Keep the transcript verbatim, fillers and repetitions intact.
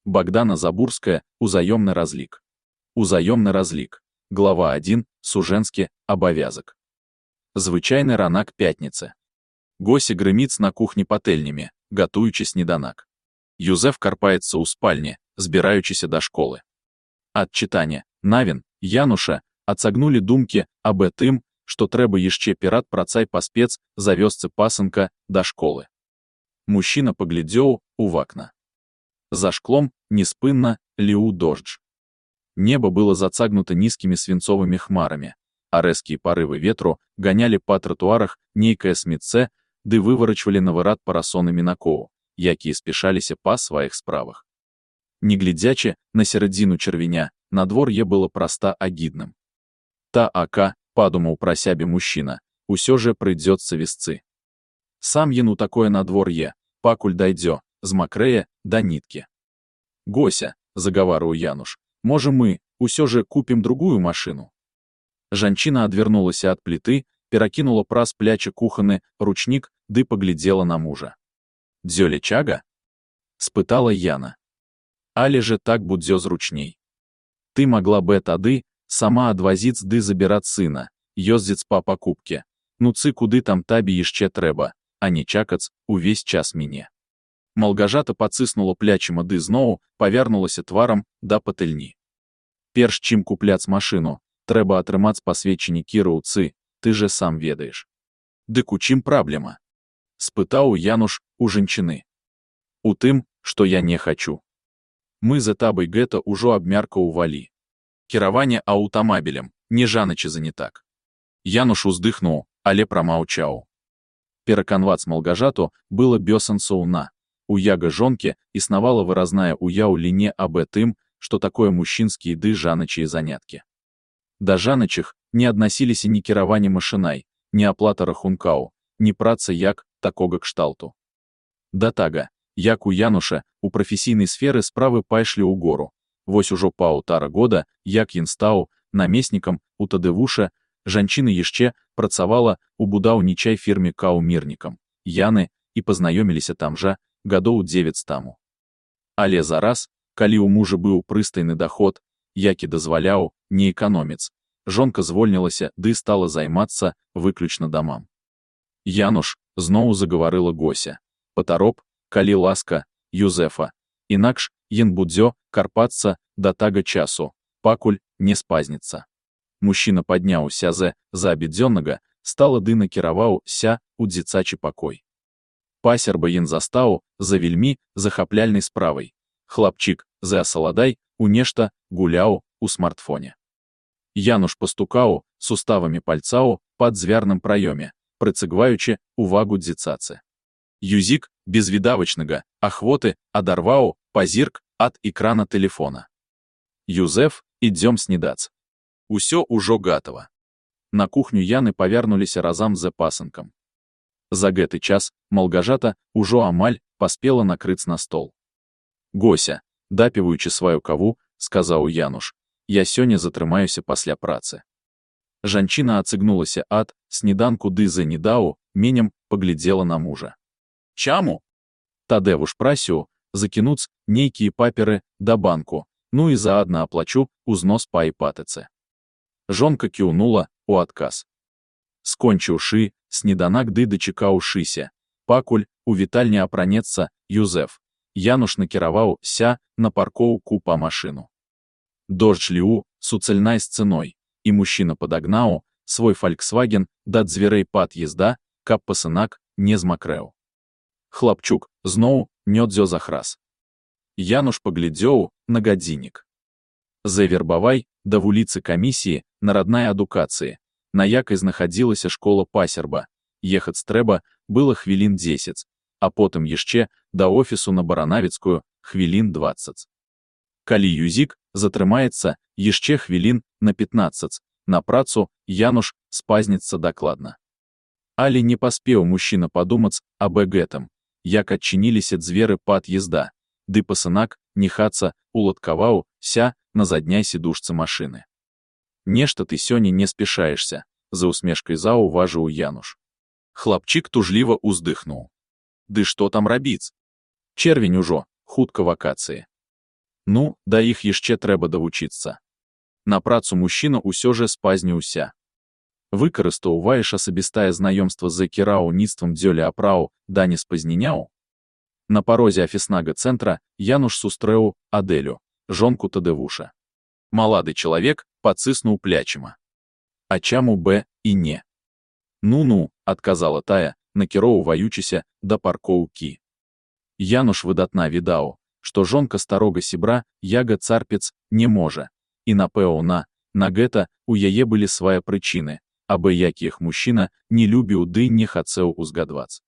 Богдана Забурская, узаемный разлик. Узаемный разлик. Глава один, Суженське, обовязок. Звичайний ранок п'ятниці. Гося гриміць на кухні пательнями, готуючи сніданок. Юзеф карпається у спальні, збираючися до школи. От читання навін, Януша, отсагнули думки аб тим, що треба іще пірат працай паспец за вёсцы пасынка до школи. Мужчина поглядзеў у вакна. За шклом неспынна ліў дождж. Небо было зацагнуто низкими свинцовыми хмарами, а рэзкія порывы ветру гоняли по тротуарах нейкае смецце, ды выварачвалі на вырад парасоны мінакоў, якія спешаліся па сваіх справах. Не глядзячы на сярэдзіну чэрвеня, надвор'е было проста агідным. Та ака, падумаў пра сябе мужчына, усё же прыйдзецца весцы. Сам ён у такое надвор'е, пакуль дайдзе, змакрэе да ніткі. Гося, загаварыў Януш, можа мы, усё же купім другую машину. Жанчына адвярнулася ад пліты, перакінула праз плячы кухонны ручнік ды паглядзела на мужа. «Дзёле чага?» — спытала Яна. «Але же так будзе зручней. Ты могла бы тады сама адвазіць ды забіраць сына, ёздзіць па пакупке. Ну цы куды там табе яшчэ трэба, а не чакаць увесь час мяне». Малгажата пацыснула плячыма ды зноў павярнулася тварам да патэльні. «Перш чым купляць машину, трэба атрымаць пасведчанне кіроўцы, ты же сам ведаеш». «Дык у чым праблема?» — спытаў Януш у жанчыны. «У тым, што я не хачу. Мы за табой гэта ўжо абмяркаўвалі. Кіраванне аўтамабілем, не жаначы занятак». Януш уздыхнуў, але прамаўчаў. Пераканваць малгажату было бёсэнсоўна. У яга жонкі існавала выразная ўяўленне аб тым, што такое мужчынскія ды жаначыя заняткі. Да жаначых не аднасіліся ні кіраванне машынай, ні аплата рахункаў, ні праца як такога кшталту. Да тага, як у Януша, у прафесійнай сферы справы пайшлі ў гору. Вось ужо паўтара года, як ён стаў намеснікам у ТДВуша, жанчына яшчэ працавала ў будаўнічай фірме каўмірнікам Яны і пазнаёміліся там жа гадоў дзевяць таму. Але зараз, калі ў мужа быў прыстайны даход, які дазваляў не эканоміць, жонка звольнілася ды стала займацца выключна дамам. «Януш», зноў загаварыла Гося, «патароб, калі ласка, Юзефа, інакш ён будзе карпацца да тага часу, пакуль не спазніцца». Мужчына падняўся з за абедзённага, стала ды накіраваўся ў дзіцачы пакой. Пасерба ён застаў за вельмі захапляльнай справай. Хлапчык за асаладай у нешта гуляў у смартфоне. Януш пастукаў суставамі пальцаў пад дзвярным праёме, прыцягваючы увагу дзіцацы. Юзік безвідавачнага ахвоты адарваў пазірк ад экрана тэлефона. «Юзеф, ідзём снідац. Усё ўжо гатава». На кухню Яны павярнуліся разам з пасынкам. За гэты час малгажата ўжо амаль паспела накрыць на стол. «Гося», дапіваючы сваю каву, сказаў Януш, «я сёння затрымаюся пасля працы». Жанчына ацыгнулася ад сніданку ды за недаў менем паглядзела на мужа. «Чаму?» «Тадэвуш прасіў закінуць нейкія паперы да банку, ну і заадна аплачу узнос па іпатыцы». Жонка кіўнула у адказ. Скончыўшы сніданак ды дачакаўшыся, пакуль у вітальні апранецца Юзеф, Януш накіраваўся на паркоўку па машыну. Дождж ліў суцэльнай сцэной, і мужчына падагнаў свой «Фальксваген» да дзвярэй пад'езда, каб пасынак не змакрэў. Хлапчук зноў нёдзё захрас. Януш паглядзеў на гадзіннік. За вербавай да вуліцы камісіі нараднай адукацыі, на якай знаходзілася школа пасерба, ехаць трэба было хвілін дзесяць, а потым яшчэ да офісу на Баранавіцкую хвілін дваццаць. Калі Юзік затрымаецца яшчэ хвілін на пятнаццаць, на працу Януш спазніцца дакладна. Але не паспеў мужчына падумаць аб гэтым, як адчыніліся дзверы пад'езда, ды пасынак ніхаца уладкаваўся на задняй сідушцы машыны. «Нешта ты сёння не спешаешься», — за усмешкай заўважыў Януш. Хлапчык тужліва ўздыхнуў. «Ды што там рабіць? Чэрвень ужо, хутка вакацыі. Ну, да іх яшчэ трэба давучыцца. На працу мужчына ўсё же спазніўся. Выкарыстоўваеш асабістае знаёмства з кіраўніцтвам дзёлі апраў, да не спазніняў. На парозе афіснага цэнтра Януш сустрэў Адэлю, жонку Тадэвуша. Малады чалавек паціснуў плячыма. А чаму б і не? Ну-ну, адказала тая, накіроўваючыся да паркоўкі. Януш выдатна відаў, што жонка старога сябра яга царпец не можа, і напэўна, на гэта у яе былі свае прычыны, абы якіх мужчына не любіў ды не хацеў узгадваць.